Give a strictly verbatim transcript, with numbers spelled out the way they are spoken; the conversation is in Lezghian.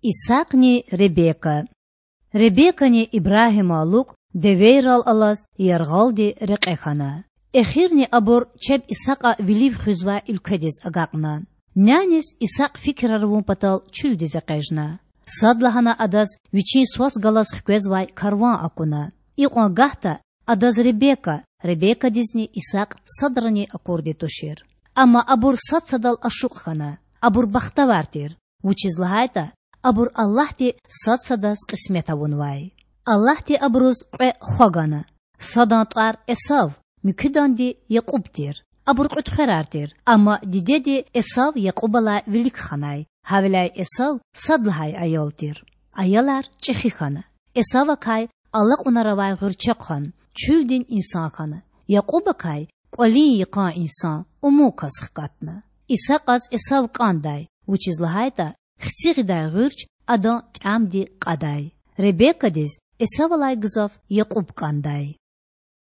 Исакьни Ребека. Ребекани Ибрагьима лукІ девейрал алаз яргъалди рекье хьана. Эхирни абур чеб Исакьа вилив хуьзвай уьлкведиз агакьна. Няниз Исакь фикирар авун патал чуьлдиз экъечІна. Садлагьана адаз вичин свас галаз хквезвай карван акуна. Икьван гагьда адаз Ребека, Ребекадизни Исакь садрани акурди тушир. Амма абур сад-садал ашукь хьана. Абур бахтавар тир, вучиз лагьайтІа абур Аллагьди сад-садаз кьисмет авунвай. Аллагьди абуруз кьве хва гана: садан тІвар Эсав, муькуьданди Якьуб тир. Абур кьуьдхверар тир, амма дидеди Эсав Якьубалай вилик ханай, гьавиляй Эсав сад лагьай аял тир. Аялар чІехи хьана. Эсавакай алакьунар авай гъуьрчехъан, чуьлдин инсан хьана. Якьубакай кІвалин йикъан инсан, умун кас хкатна. Исакьаз Эсав кІандай, вучиз лагьайтІа хци гъидай гъуьрч адан тІямди кьадай. Ребекадиз Эсавалай гзаф Якьуб кІандай.